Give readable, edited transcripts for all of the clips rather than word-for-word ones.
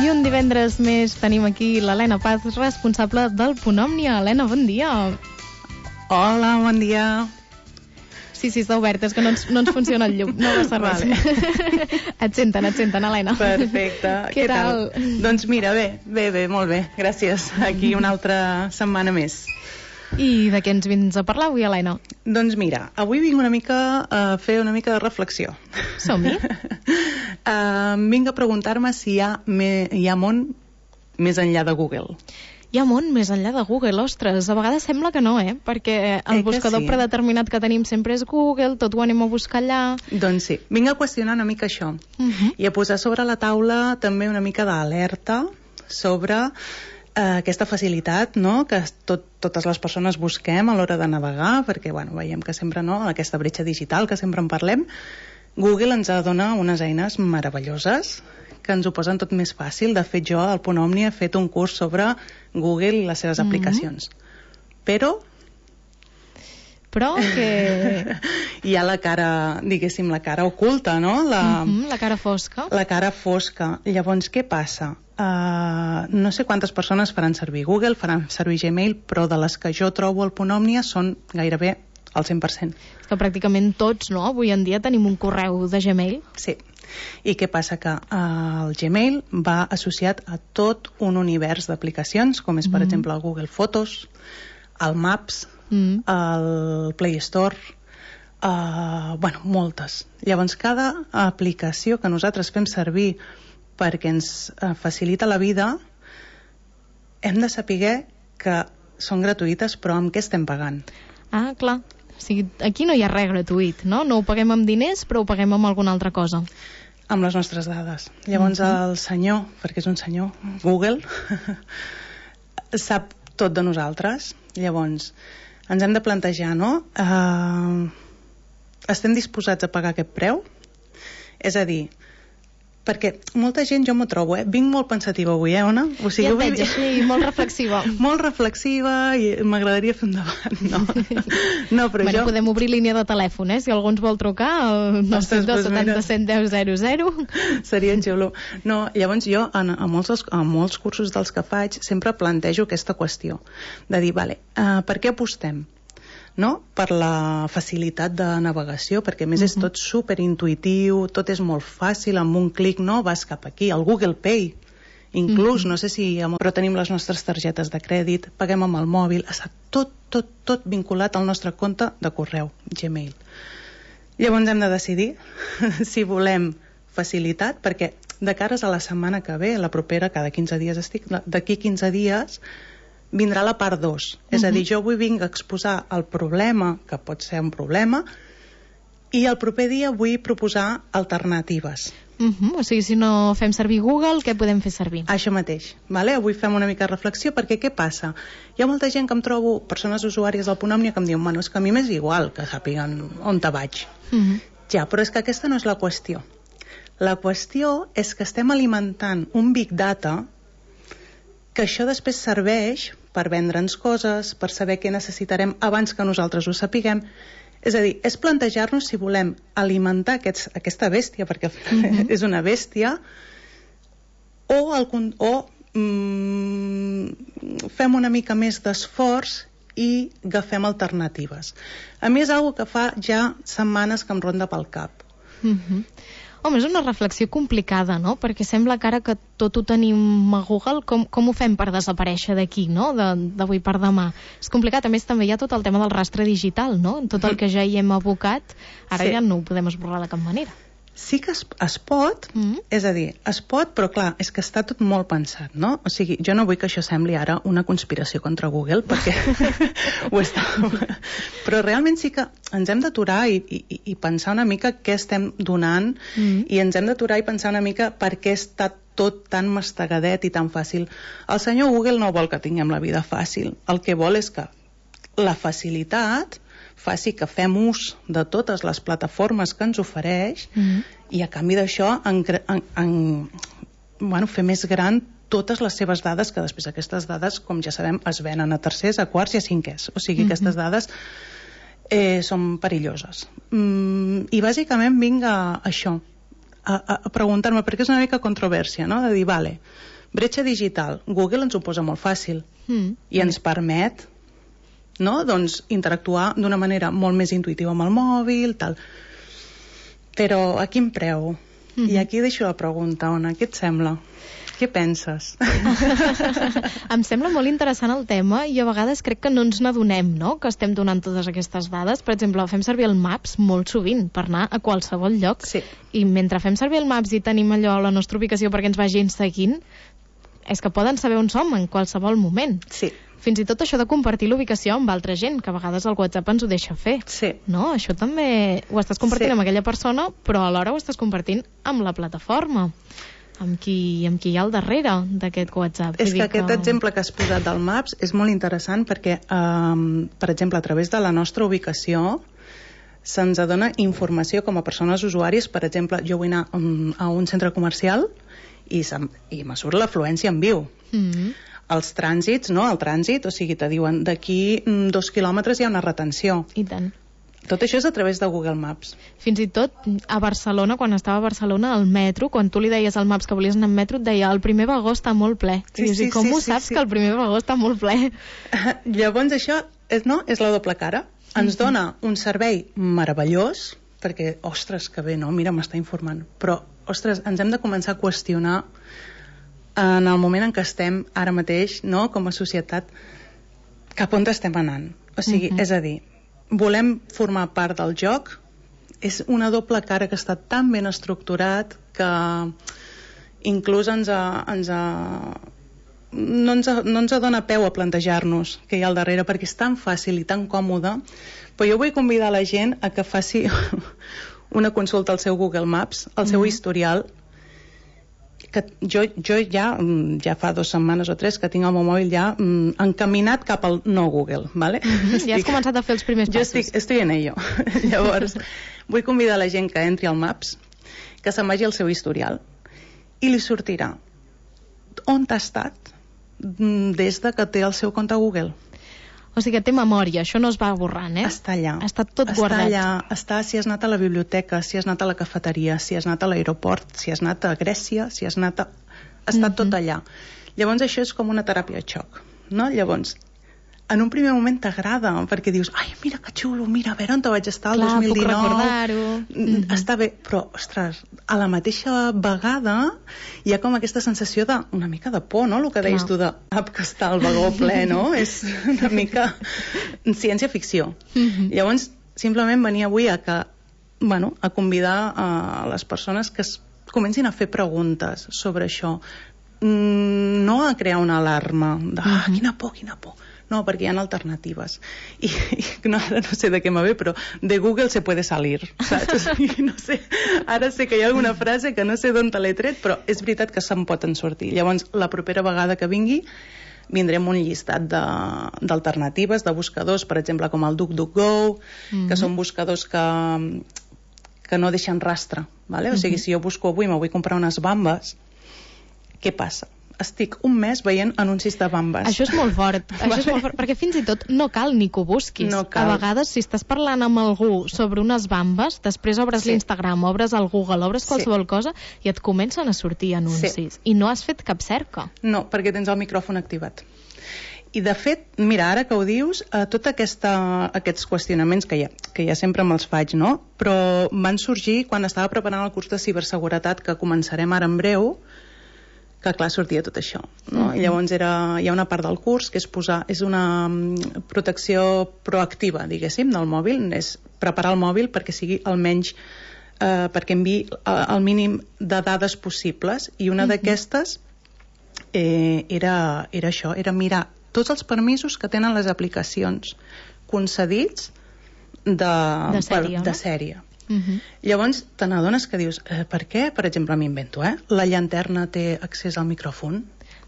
I un divendres més tenim aquí l'Helena Paz, responsable del Punt Òmnia. Helena, bon dia. Hola, bon dia. Sí, està obert, és que no ens funciona el llum, no passa res. Vale. Et senten, Helena. Perfecte. Què tal? Doncs mira, bé, molt bé, gràcies. Aquí una altra setmana més. I de què ens vins a parlar avui, Helena? Doncs mira, avui vinc una mica a fer una mica de reflexió. Som-hi. Vinc a preguntar-me si hi ha món més enllà de Google. Hi ha món més enllà de Google, ostres, a vegades sembla que no, perquè el buscador predeterminat que tenim sempre és Google, tot ho anem a buscar allà. Doncs sí, vinc a qüestionar una mica això i a posar sobre la taula també una mica d'alerta sobre aquesta facilitat, no?, que totes les persones busquem a l'hora de navegar, perquè veiem que sempre, aquesta bretxa digital que sempre en parlem. Google ens dona unes eines meravelloses que ens ho posen tot més fàcil. De fet, jo al Punt Òmnia he fet un curs sobre Google i les seves aplicacions. Però que... hi ha la cara, diguéssim, la cara oculta, no? La cara fosca. La cara fosca. Llavors, què passa? No sé quantes persones faran servir Google, faran servir Gmail, però de les que jo trobo al Punt Òmnia són gairebé al 100%. És que pràcticament tots, no? Avui en dia tenim un correu de Gmail. Sí. I què passa? Que el Gmail va associat a tot un univers d'aplicacions, com és, per exemple, el Google Fotos, el Maps, el Play Store, moltes. Llavors, cada aplicació que nosaltres fem servir perquè ens facilita la vida, hem de saber que són gratuïtes, però amb què estem pagant? Ah, clar. O sigui, aquí no hi ha res gratuït, no? No ho paguem amb diners, però ho paguem amb alguna altra cosa. Amb les nostres dades. Llavors el senyor, perquè és un senyor, Google, sap tot de nosaltres. Llavors ens hem de plantejar, no? Estem disposats a pagar aquest preu? És a dir, perquè molta gent, jo m'ho trobo, vinc molt pensativa avui, Ona? O sigui, ja et veig així, molt reflexiva. Molt reflexiva i m'agradaria fer un debat, no, però jo... Podem obrir línia de telèfon, si algú ens vol trucar, al 972 77 10 00. Seria xulo. No, llavors jo, a molts cursos dels que faig, sempre plantejo aquesta qüestió, de dir, per què apostem? No? Per la facilitat de navegació, perquè a més és tot superintuitiu, tot és molt fàcil, amb un clic vas cap aquí, el Google Pay inclús, no sé si però tenim les nostres targetes de crèdit, paguem amb el mòbil, està tot vinculat al nostre compte de correu, Gmail. Llavors hem de decidir si volem facilitat, perquè de cares a la setmana que ve, la propera, cada 15 dies d'aquí 15 dies vindrà la part 2. És a dir, jo avui vinc a exposar el problema, que pot ser un problema, i el proper dia vull proposar alternatives. O sigui, si no fem servir Google, què podem fer servir? Això mateix. Avui fem una mica de reflexió, perquè què passa? Hi ha molta gent que em trobo, persones usuàries del Punt Òmnia, que em diuen, és que a mi m'és igual que sàpiguen on te vaig. Ja, però és que aquesta no és la qüestió. La qüestió és que estem alimentant un big data que això després serveix per vendre'ns coses, per saber què necessitarem abans que nosaltres ho sapiguem. És a dir, és plantejar-nos si volem alimentar aquesta bèstia, perquè és una bèstia, o fem una mica més d'esforç i agafem alternatives. A mi és una cosa que fa ja setmanes que em ronda pel cap. Home, és una reflexió complicada, no? Perquè sembla que ara que tot ho tenim a Google, com ho fem per desaparèixer d'aquí, no? D'avui per demà. És complicat. A més, també hi ha tot el tema del rastre digital, no? Tot el que ja hi hem abocat, ara ja no ho podem esborrar de cap manera. Sí que es pot, és a dir, es pot, però clar, és que està tot molt pensat, no? O sigui, jo no vull que això sembli ara una conspiració contra Google, perquè ho està. Però realment sí que ens hem d'aturar i pensar una mica què estem donant, i ens hem d'aturar i pensar una mica per què està tot tan mastegadet i tan fàcil. El senyor Google no vol que tinguem la vida fàcil. El que vol és que la facilitat faci que fem ús de totes les plataformes que ens ofereix i a canvi d'això fer més gran totes les seves dades, que després aquestes dades, com ja sabem, es venen a tercers, a quarts i a cinquers. O sigui, aquestes dades són perilloses. I bàsicament vinc a això, a preguntar-me, perquè és una mica controvèrsia, no? De dir, Bretxa digital. Google ens ho posa molt fàcil i ens permet, no?, doncs, interactuar d'una manera molt més intuïtiva amb el mòbil, tal. Però a quin preu? I aquí deixo la pregunta, Ona, què et sembla? Què penses? Em sembla molt interessant el tema i a vegades crec que no ens n'adonem, no?, que estem donant totes aquestes dades. Per exemple, fem servir el Maps molt sovint per anar a qualsevol lloc. Sí. I mentre fem servir el Maps i tenim allò a la nostra ubicació perquè ens vagin seguint, és que poden saber on som en qualsevol moment. Sí. Fins i tot això de compartir l'ubicació amb altra gent, que a vegades el WhatsApp ens ho deixa fer. Sí. No? Això també ho estàs compartint amb aquella persona, però alhora ho estás compartint amb la plataforma, amb qui hi ha al darrere d'aquest WhatsApp. És que aquest exemple que has posat del Maps és molt interessant perquè, per exemple, a través de la nostra ubicació se'ns dona informació com a persones usuàries. Per exemple, jo vull anar a un centre comercial i me surt l'afluència en viu. Els trànsits, no? El trànsit, o sigui, te diuen d'aquí 2 quilòmetres hi ha una retenció. I tant. Tot això és a través de Google Maps. Fins i tot a Barcelona, quan estava a Barcelona, al metro, quan tu li deies al Maps que volies anar en metro, et deia el primer vagó està molt ple. I com ho saps que el primer vagó està molt ple? Llavors això és la doble cara. Ens dona un servei meravellós, perquè, ostres, que bé, no? Mira, m'està informant. Però, ostres, ens hem de començar a qüestionar en el moment en què estem ara mateix, no?, com a societat, cap on estem anant. O sigui, és a dir, volem formar part del joc, és una doble cara que està tan ben estructurat que inclús no ens dona peu a plantejar-nos què hi ha al darrere, perquè és tan fàcil i tan còmode. Però jo vull convidar la gent a que faci una consulta al seu Google Maps, al seu historial, que jo ja fa 2 setmanes o 3 que tinc el meu mòbil ja encaminat cap al no Google, ¿vale? Ja has començat a fer els primers passos. Jo estoy en ello. Llavors, vull convidar la gent que entri al Maps, que se'n vagi al seu historial i li sortirà on t'ha estat des de que té el seu compte a Google. O sigui que té memòria, això no es va borrant, eh? Està allà. Està tot guardat. Està si has anat a la biblioteca, si has anat a la cafeteria, si has anat a l'aeroport, si has anat a Grècia, si has anat a... Està tot allà. Llavors això és com una teràpia de xoc, no? Llavors, en un primer moment t'agrada, perquè dius, ai, mira que xulo, mira, a veure on te vaig estar el 2019. Puc recordar-ho. Està bé, però, ostres, a la mateixa vegada hi ha com aquesta sensació una mica de por, no? El que deies tu de que està el vagó ple, no? És una mica ciència-ficció. Llavors, simplement venia avui a convidar a les persones que comencin a fer preguntes sobre això. No a crear una alarma de, quina por. No, perquè hi ha alternatives. I no sé de què me ve, però de Google se puede salir, saps? No sé, ara sé que hi ha alguna frase que no sé d'on te l'he tret, però és veritat que se'n poden sortir. Llavors, la propera vegada que vingui, vindrem un llistat d'alternatives, de buscadors, per exemple, com el DuckDuckGo, que són buscadors que no deixen rastre, ¿vale? O sigui, si jo busco avui, me vull comprar unes bambes, què passa? Estic un mes veient anuncis de bambes. Això és molt fort, perquè fins i tot no cal ni que ho busquis. No cal. A vegades, si estàs parlant amb algú sobre unes bambes, després obres l'Instagram, obres el Google, obres qualsevol cosa i et comencen a sortir anuncis. I no has fet cap cerca. No, perquè tens el micròfon activat. I de fet, mira, ara que ho dius, tots aquests qüestionaments que ja sempre me'ls faig, no? Però van sorgir quan estava preparant el curs de ciberseguretat que començarem ara en breu, que clar, sortia tot això, no? I llavors hi ha una part del curs que és una protecció proactiva, diguéssim, del mòbil, és preparar el mòbil perquè sigui almenys perquè enviï el mínim de dades possibles, i una d'aquestes era això, era mirar tots els permisos que tenen les aplicacions concedits de sèrie. Llavors te n'adones que dius, per què, per exemple, m'invento, la llanterna té accés al micròfon?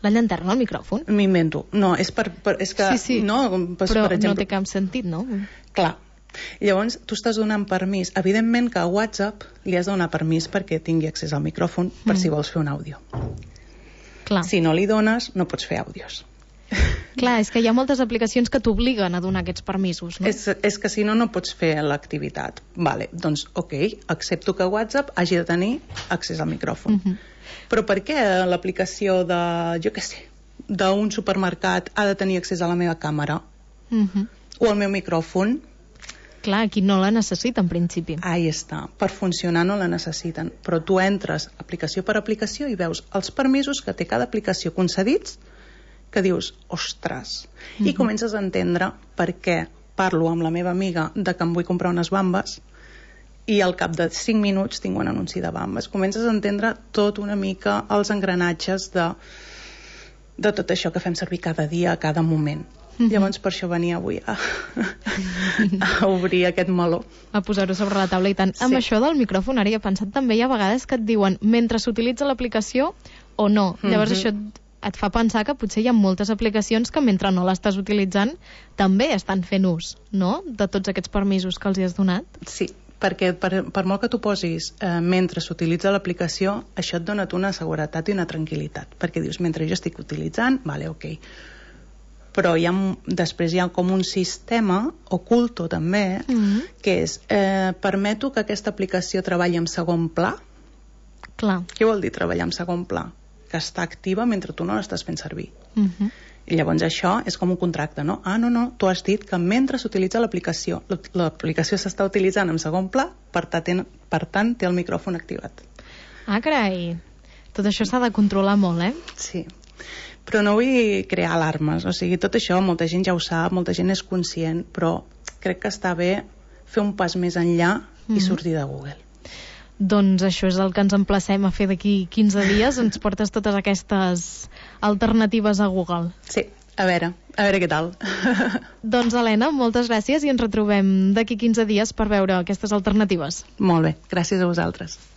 La llanterna al micròfon? M'invento. No, és que... Sí. No, però per exemple, no té cap sentit, no? Clar. Llavors tu estàs donant permís. Evidentment que a WhatsApp li has de donar permís perquè tingui accés al micròfon per si vols fer un àudio. Clar. Si no li dones, no pots fer àudios. Clar, és que hi ha moltes aplicacions que t'obliguen a donar aquests permisos, no? És que si no, no pots fer l'activitat. Vale, doncs, ok, accepto que WhatsApp hagi de tenir accés al micròfon. Però per què l'aplicació de, jo què sé, d'un supermercat ha de tenir accés a la meva càmera? O al meu micròfon? Clar, aquí no la necessita, en principi. Ahí està. Per funcionar no la necessiten. Però tu entres aplicació per aplicació i veus els permisos que té cada aplicació concedits, que dius, ostres, i comences a entendre per què parlo amb la meva amiga de que em vull comprar unes bambes i al cap de 5 minuts tinc un anunci de bambes. Comences a entendre tot una mica els engranatges de tot això que fem servir cada dia, a cada moment. Llavors per això venia avui a obrir aquest meló, a posar-ho sobre la taula i tant. Amb això del micròfon ara hi he pensat també, hi ha vegades que et diuen mentre s'utilitza l'aplicació o no. Llavors això et fa pensar que potser hi ha moltes aplicacions que mentre no l'estàs utilitzant també estan fent ús, no?, de tots aquests permisos que els hi has donat. Sí, perquè per molt que tu posis mentre s'utilitza l'aplicació, això et dona una seguretat i una tranquil·litat, perquè dius, mentre jo estic utilitzant, vale, ok, però després hi ha com un sistema oculto també, que és permeto que aquesta aplicació treballi en segon pla. Clar. Què vol dir treballar en segon pla? Que està activa mentre tu no l'estàs fent servir. I llavors això és com un contracte, no? Ah, no, tu has dit que mentre s'utilitza l'aplicació s'està utilitzant en segon pla, per tant té el micròfon activat. Ah, carai, tot això s'ha de controlar molt, Sí, però no vull crear alarmes, o sigui, tot això molta gent ja ho sap, molta gent és conscient, però crec que està bé fer un pas més enllà i sortir de Google. Doncs això és el que ens emplacem a fer d'aquí 15 dies, ens portes totes aquestes alternatives a Google. Sí, a veure què tal. Doncs Helena, moltes gràcies i ens retrobem d'aquí 15 dies per veure aquestes alternatives. Molt bé, gràcies a vosaltres.